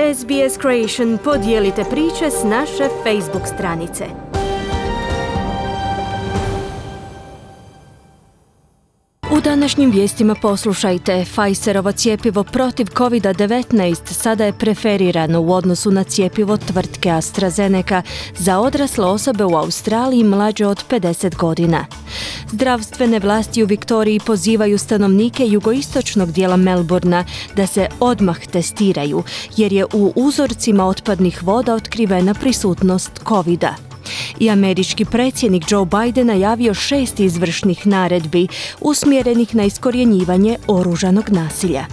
SBS Creation, podijelite priče s naše Facebook stranice. U današnjim vijestima poslušajte, Pfizerovo cjepivo protiv COVID-19 sada je preferirano u odnosu na cjepivo tvrtke AstraZeneca za odrasle osobe u Australiji mlađe od 50 godina. Zdravstvene vlasti u Viktoriji pozivaju stanovnike jugoistočnog dijela Melbourna da se odmah testiraju, jer je u uzorcima otpadnih voda otkrivena prisutnost COVID-a. I američki predsjednik Joe Biden najavio 6 izvršnih naredbi usmjerenih na iskorjenjivanje oružanog nasilja.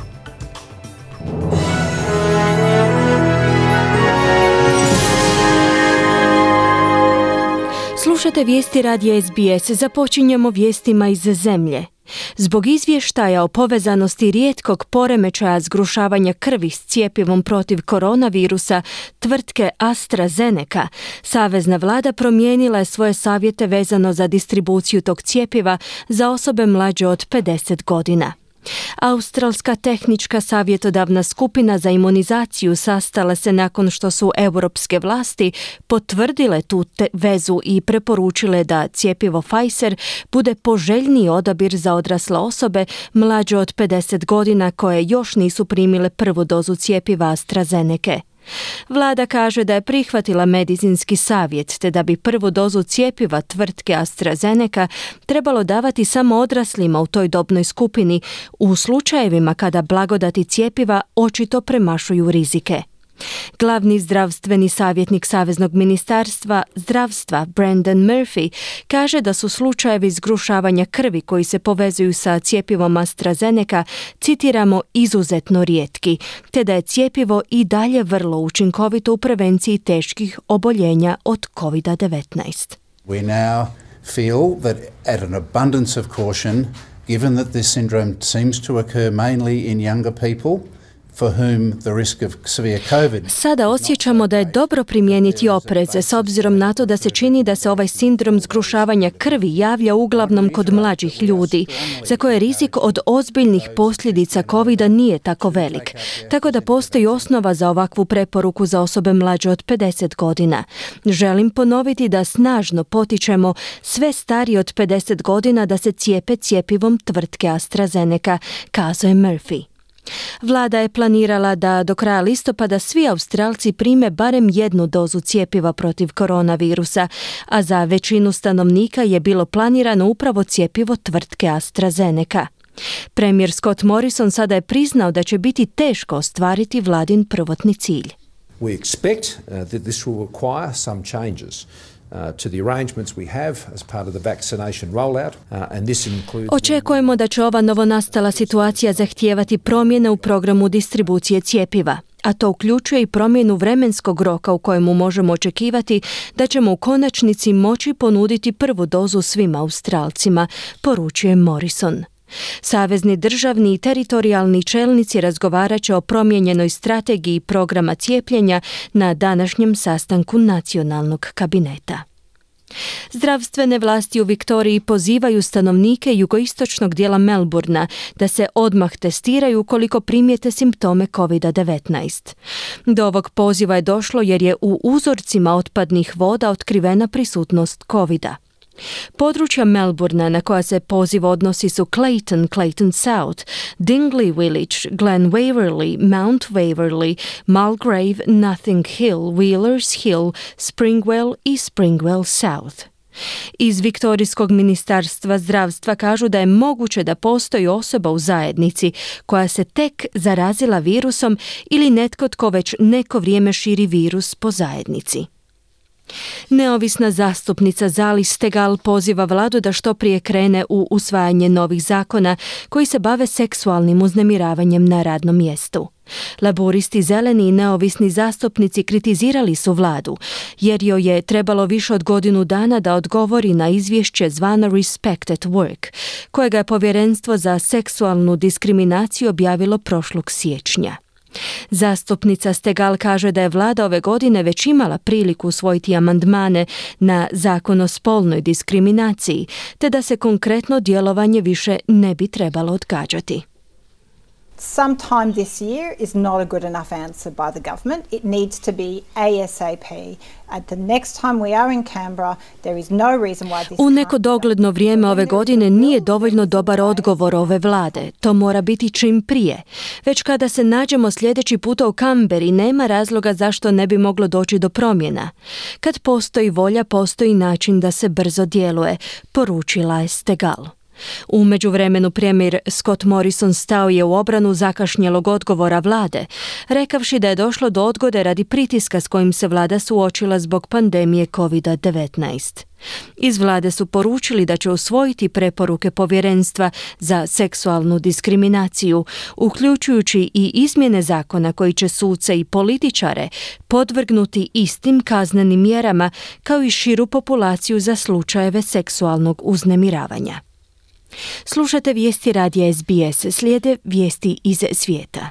Slušate vijesti radija SBS. Započinjemo vijestima iz zemlje. Zbog izvještaja o povezanosti rijetkog poremećaja zgrušavanja krvi s cjepivom protiv koronavirusa tvrtke AstraZeneca, savezna vlada promijenila je svoje savjete vezano za distribuciju tog cjepiva za osobe mlađe od 50 godina. Australska tehnička savjetodavna skupina za imunizaciju sastala se nakon što su europske vlasti potvrdile tu vezu i preporučile da cjepivo Pfizer bude poželjniji odabir za odrasle osobe mlađe od 50 godina koje još nisu primile prvu dozu cjepiva AstraZeneca. Vlada kaže da je prihvatila medicinski savjet te da bi prvu dozu cjepiva tvrtke AstraZeneca trebalo davati samo odraslima u toj dobnoj skupini u slučajevima kada blagodati cjepiva očito premašuju rizike. Glavni zdravstveni savjetnik Saveznog ministarstva zdravstva Brendan Murphy kaže da su slučajevi zgrušavanja krvi koji se povezuju sa cjepivom AstraZeneca, citiramo, izuzetno rijetki, te da je cjepivo i dalje vrlo učinkovito u prevenciji teških oboljenja od COVID-19. We now feel that at an abundance of caution, given that this syndrome seems to occur mainly in younger people, Sada osjećamo da je dobro primijeniti oprez s obzirom na to da se čini da se ovaj sindrom zgrušavanja krvi javlja uglavnom kod mlađih ljudi, za koje rizik od ozbiljnih posljedica COVID-a nije tako velik. Tako da postoji osnova za ovakvu preporuku za osobe mlađe od 50 godina. Želim ponoviti da snažno potičemo sve starije od 50 godina da se cijepe cjepivom tvrtke AstraZeneca, kazao je Murphy. Vlada je planirala da do kraja listopada svi Australci prime barem jednu dozu cjepiva protiv koronavirusa, a za većinu stanovnika je bilo planirano upravo cjepivo tvrtke AstraZeneca. Premijer Scott Morrison sada je priznao da će biti teško ostvariti vladin prvotni cilj. We expect that this will require some changes to the arrangements we have as part of the vaccination rollout, and this includes... Očekujemo da će ova novonastala situacija zahtijevati promjene u programu distribucije cjepiva, a to uključuje i promjenu vremenskog roka u kojemu možemo očekivati da ćemo u konačnici moći ponuditi prvu dozu svim Australcima, poručuje Morrison. Savezni državni i teritorijalni čelnici razgovarat će o promijenjenoj strategiji programa cijepljenja na današnjem sastanku nacionalnog kabineta. Zdravstvene vlasti u Viktoriji pozivaju stanovnike jugoistočnog dijela Melbourna da se odmah testiraju ukoliko primijete simptome COVID-19. Do ovog poziva je došlo jer je u uzorcima otpadnih voda otkrivena prisutnost COVID-a. Područja Melbourna na koja se poziv odnosi su Clayton, Clayton South, Dingley Village, Glen Waverley, Mount Waverley, Mulgrave, Nothing Hill, Wheelers Hill, Springwell i Springwell South. Iz Viktorijskog ministarstva zdravstva kažu da je moguće da postoji osoba u zajednici koja se tek zarazila virusom ili netko tko već neko vrijeme širi virus po zajednici. Neovisna zastupnica Zali Steggall poziva vladu da što prije krene u usvajanje novih zakona koji se bave seksualnim uznemiravanjem na radnom mjestu. Laburisti, zeleni i neovisni zastupnici kritizirali su vladu jer joj je trebalo više od godinu dana da odgovori na izvješće zvano Respect at Work, kojega je Povjerenstvo za seksualnu diskriminaciju objavilo prošlog siječnja. Zastupnica Steggall kaže da je vlada ove godine već imala priliku usvojiti amandmane na zakon o spolnoj diskriminaciji, te da se konkretno djelovanje više ne bi trebalo odgađati. sometime this year is not a good enough answer by the government. It needs to be ASAP. At the next time we are in Canberra, there is no reason why this. U neko dogledno vrijeme ove godine nije dovoljno dobar odgovor ove vlade. To mora biti čim prije. Već kada se nađemo sljedeći puta u Canberri, nema razloga zašto ne bi moglo doći do promjena. Kad postoji volja, postoji način da se brzo djeluje, poručila je Stegal. U međuvremenu premijer Scott Morrison stao je u obranu zakašnjelog odgovora vlade, rekavši da je došlo do odgode radi pritiska s kojim se vlada suočila zbog pandemije COVID-19. Iz vlade su poručili da će usvojiti preporuke Povjerenstva za seksualnu diskriminaciju, uključujući i izmjene zakona koji će suce i političare podvrgnuti istim kaznenim mjerama kao i širu populaciju za slučajeve seksualnog uznemiravanja. Slušate vijesti radija SBS, slijede vijesti iz svijeta.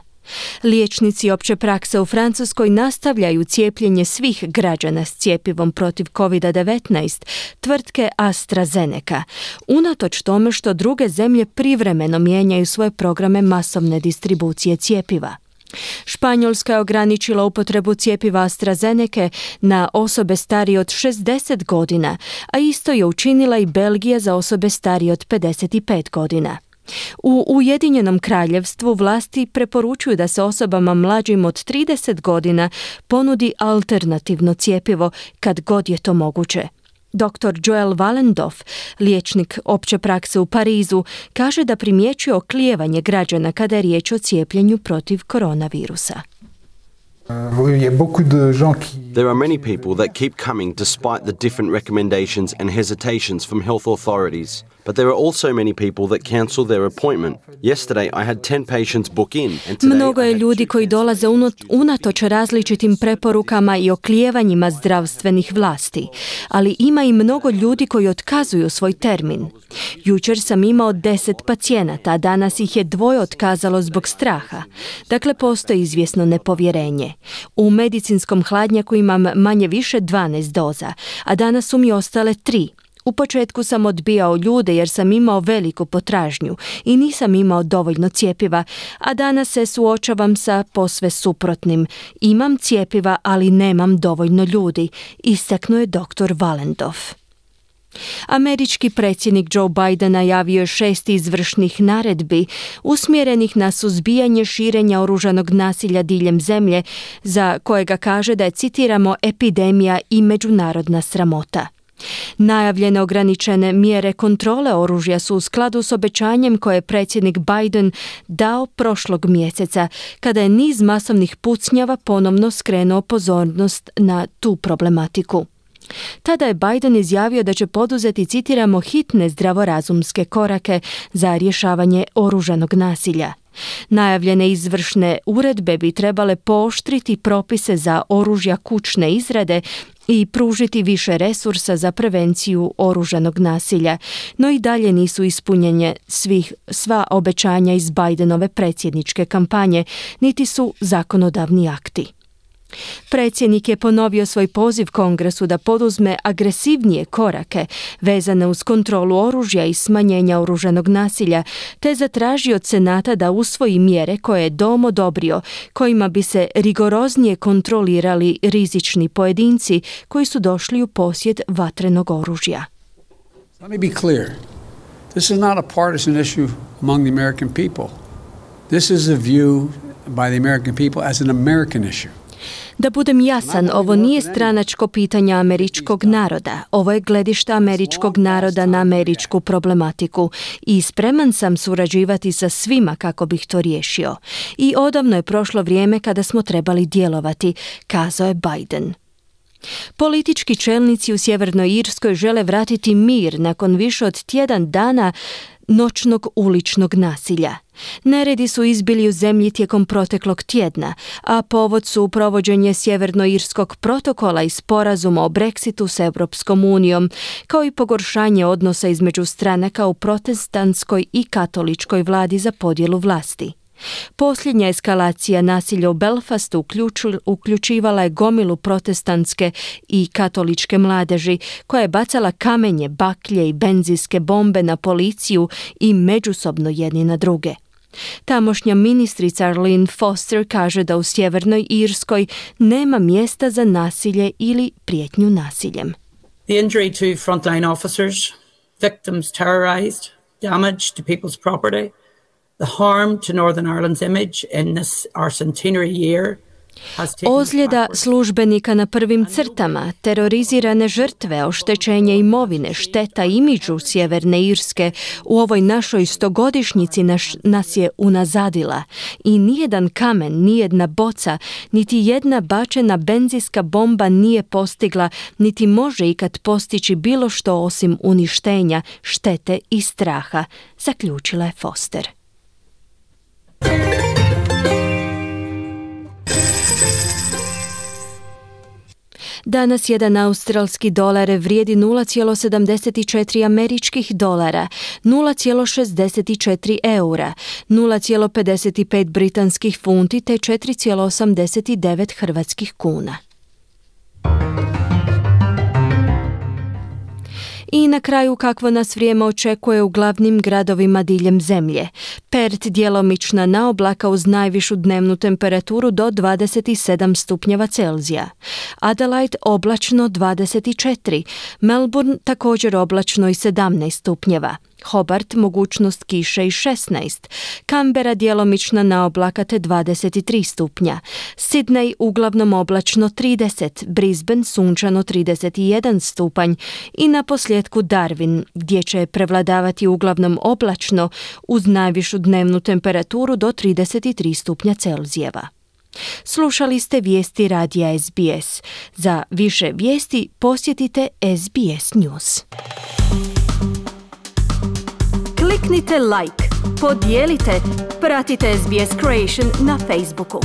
Liječnici opće prakse u Francuskoj nastavljaju cijepljenje svih građana s cjepivom protiv COVID-19 tvrtke AstraZeneca, unatoč tome što druge zemlje privremeno mijenjaju svoje programe masovne distribucije cjepiva. Španjolska je ograničila upotrebu cjepiva AstraZeneca na osobe starije od 60 godina, a isto je učinila i Belgija za osobe starije od 55 godina. U Ujedinjenom kraljevstvu vlasti preporučuju da se osobama mlađim od 30 godina ponudi alternativno cjepivo kad god je to moguće. Dr. Joel Walendorf, liječnik opće prakse u Parizu, kaže da primjećuje oklijevanje građana kada je riječ o cijepljenju protiv koronavirusa. There are many people that keep coming despite the different recommendations and hesitations from health authorities. But there are also many people that cancel their appointment. Yesterday I had 10 patients book in and today Mnogo je ljudi koji dolaze unatoč različitim preporukama i oklijevanjima zdravstvenih vlasti, ali ima i mnogo ljudi koji otkazuju svoj termin. Jučer sam imao 10 pacijenata, a danas ih je 2 otkazalo zbog straha. Dakle, postoji izvjesno nepovjerenje. U medicinskom hladnjaku imam manje više 12 doza, a danas su mi ostale 3. U početku sam odbijao ljude jer sam imao veliku potražnju i nisam imao dovoljno cjepiva, a danas se suočavam sa posve suprotnim. Imam cjepiva, ali nemam dovoljno ljudi, istaknuo je dr. Walendorf. Američki predsjednik Joe Biden najavio je 6 izvršnih naredbi usmjerenih na suzbijanje širenja oružanog nasilja diljem zemlje, za kojega kaže da je, citiramo, epidemija i međunarodna sramota. Najavljene ograničene mjere kontrole oružja su u skladu s obećanjem koje je predsjednik Biden dao prošlog mjeseca, kada je niz masovnih pucnjava ponovno skrenuo pozornost na tu problematiku. Tada je Biden izjavio da će poduzeti, citiramo, hitne zdravorazumske korake za rješavanje oružanog nasilja. Najavljene izvršne uredbe bi trebale pooštriti propise za oružja kućne izrade i pružiti više resursa za prevenciju oružanog nasilja, no i dalje nisu ispunjene sva obećanja iz Bidenove predsjedničke kampanje, niti su zakonodavni akti. Predsjednik je ponovio svoj poziv Kongresu da poduzme agresivnije korake vezane uz kontrolu oružja i smanjenja oružanog nasilja, te zatražio od Senata da usvoji mjere koje je Dom odobrio, kojima bi se rigoroznije kontrolirali rizični pojedinci koji su došli u posjed vatrenog oružja. Let me be clear. This is not a partisan issue among the American people. This is a view by the American people as an American issue. Da budem jasan, ovo nije stranačko pitanje američkog naroda. Ovo je gledište američkog naroda na američku problematiku i spreman sam surađivati sa svima kako bih to riješio. I odavno je prošlo vrijeme kada smo trebali djelovati, kazao je Biden. Politički čelnici u Sjevernoj Irskoj žele vratiti mir nakon više od tjedan dana noćnog uličnog nasilja. Neredi su izbili u zemlji tijekom proteklog tjedna, a povod su provođenje sjevernoirskog protokola i sporazuma o Brexitu s Europskom unijom, kao i pogoršanje odnosa između stranaka u protestantskoj i katoličkoj vladi za podjelu vlasti. Posljednja eskalacija nasilja u Belfastu uključivala je gomilu protestantske i katoličke mladeži koja je bacala kamenje, baklje i benzinske bombe na policiju i međusobno jedni na druge. Tamošnja ministrica Arlene Foster kaže da u Sjevernoj Irskoj nema mjesta za nasilje ili prijetnju nasiljem. The injury to frontline officers, victims terrorized, damage to people's property, the harm to Northern Ireland's image in this our centenary year. Ozljeda službenika na prvim crtama, terorizirane žrtve, oštećenje imovine, šteta imidžu Sjeverne Irske u ovoj našoj 100-godišnjici nas je unazadila i nijedan kamen, nijedna boca, niti jedna bačena benzinska bomba nije postigla, niti može ikad postići bilo što osim uništenja, štete i straha, zaključila je Foster. Danas jedan australski dolar vrijedi 0,74 američkih dolara, 0,64 eura, 0,55 britanskih funti te 4,89 hrvatskih kuna. I na kraju kakvo nas vrijeme očekuje u glavnim gradovima diljem zemlje. Perth djelomična naoblaka uz najvišu dnevnu temperaturu do 27 stupnjeva Celzija. Adelaide oblačno 24, Melbourne također oblačno i 17 stupnjeva. Hobart mogućnost kiše i 16, Canberra djelomična naoblaka te 23 stupnja, Sydney uglavnom oblačno 30, Brisbane sunčano 31 stupanj i na posljedku Darwin gdje će prevladavati uglavnom oblačno uz najvišu dnevnu temperaturu do 33 stupnja Celzijeva. Slušali ste vijesti radija SBS. Za više vijesti posjetite SBS News. Kliknite like, podijelite, pratite SBS Creation na Facebooku.